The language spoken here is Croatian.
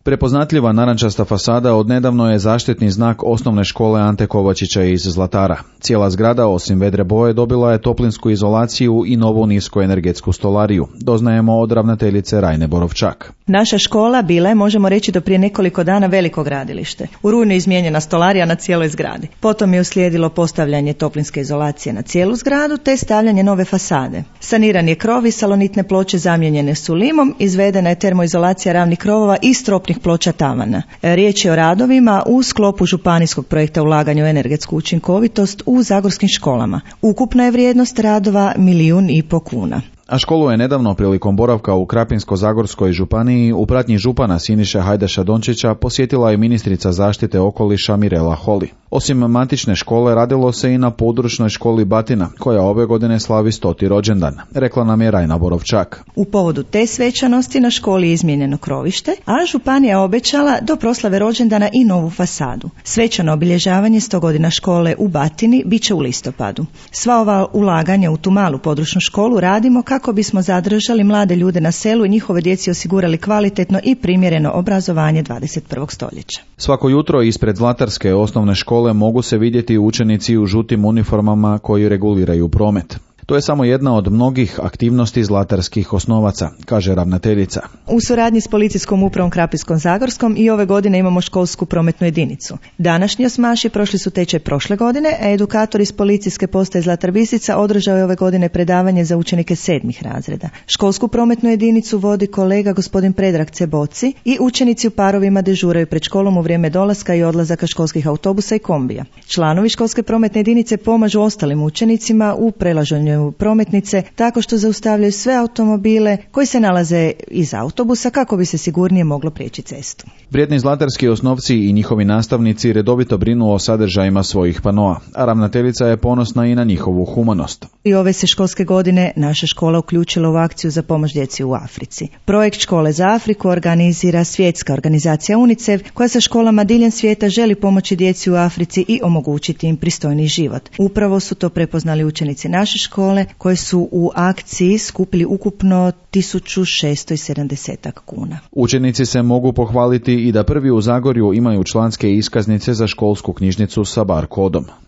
Prepoznatljiva narančasta fasada odnedavno je zaštitni znak osnovne škole Ante Kovačića iz Zlatara. Cijela zgrada, osim vedre boje, dobila je toplinsku izolaciju i novu niskoenergetsku stolariju. Doznajemo od ravnateljice Rajne Borovčak. Naša škola bila je, možemo reći, do prije nekoliko dana veliko gradilište. U rujnu je izmijenjena stolarija na cijeloj zgradi. Potom je uslijedilo postavljanje toplinske izolacije na cijelu zgradu te stavljanje nove fasade. Saniran je krov i salonitne ploče zamijenjene su limom, izvedena je termoizolacija ravnih krovova i stropnih ploča tavana. Riječ je o radovima u sklopu županijskog projekta ulaganja u energetsku učinkovitost u zagorskim školama. Ukupna je vrijednost radova 1,5 milijun kuna. A školu je nedavno prilikom boravka u Krapinsko-zagorskoj županiji u pratnji župana Siniše Hajdaša Dončića posjetila je ministrica zaštite okoliša Mirela Holy. Osim matične škole radilo se i na područnoj školi Batina, koja ove godine slavi 100. rođendan, rekla nam je Rajna Borovčak. U povodu te svečanosti na školi je izmijenjeno krovište, a županija obećala do proslave rođendana i novu fasadu. Svečano obilježavanje 100 godina škole u Batini bit će u listopadu. Sva ova ulaganja u tu malu područnu školu radimo kako bismo zadržali mlade ljude na selu i njihove djeci osigurali kvalitetno i primjereno obrazovanje 21. stoljeća. Svako jutro ispred Zlatarske osnovne škole mogu se vidjeti učenici u žutim uniformama koji reguliraju promet. To je samo jedna od mnogih aktivnosti zlatarskih osnovaca, kaže ravnateljica. U suradnji s policijskom upravom Krapinsko-zagorskom i ove godine imamo školsku prometnu jedinicu. Današnji osmaši prošli su tečaj prošle godine, a edukator iz policijske postaje Zlatar Bistrica održao je ove godine predavanje za učenike 7. razreda. Školsku prometnu jedinicu vodi kolega gospodin Predrag Ceboci i učenici u parovima dežuraju pred školom u vrijeme dolaska i odlazaka školskih autobusa i kombija. Članovi školske prometne jedinice pomažu ostalim učenicima u prelaženju prometnice tako što zaustavljaju sve automobile koji se nalaze iz autobusa kako bi se sigurnije moglo prijeći cestu. Vrijedni zlatarski osnovci i njihovi nastavnici redovito brinu o sadržajima svojih panoa, a ravnateljica je ponosna i na njihovu humanost. I ove se školske godine naša škola uključila u akciju za pomoć djeci u Africi. Projekt Škole za Afriku organizira svjetska organizacija UNICEF koja sa školama diljem svijeta želi pomoći djeci u Africi i omogućiti im pristojni život. Upravo su to prepoznali učenici naše škole koje su u akciji skupili ukupno 1670 kuna. Učenici se mogu pohvaliti i da prvi u Zagorju imaju članske iskaznice za školsku knjižnicu sa bar kodom.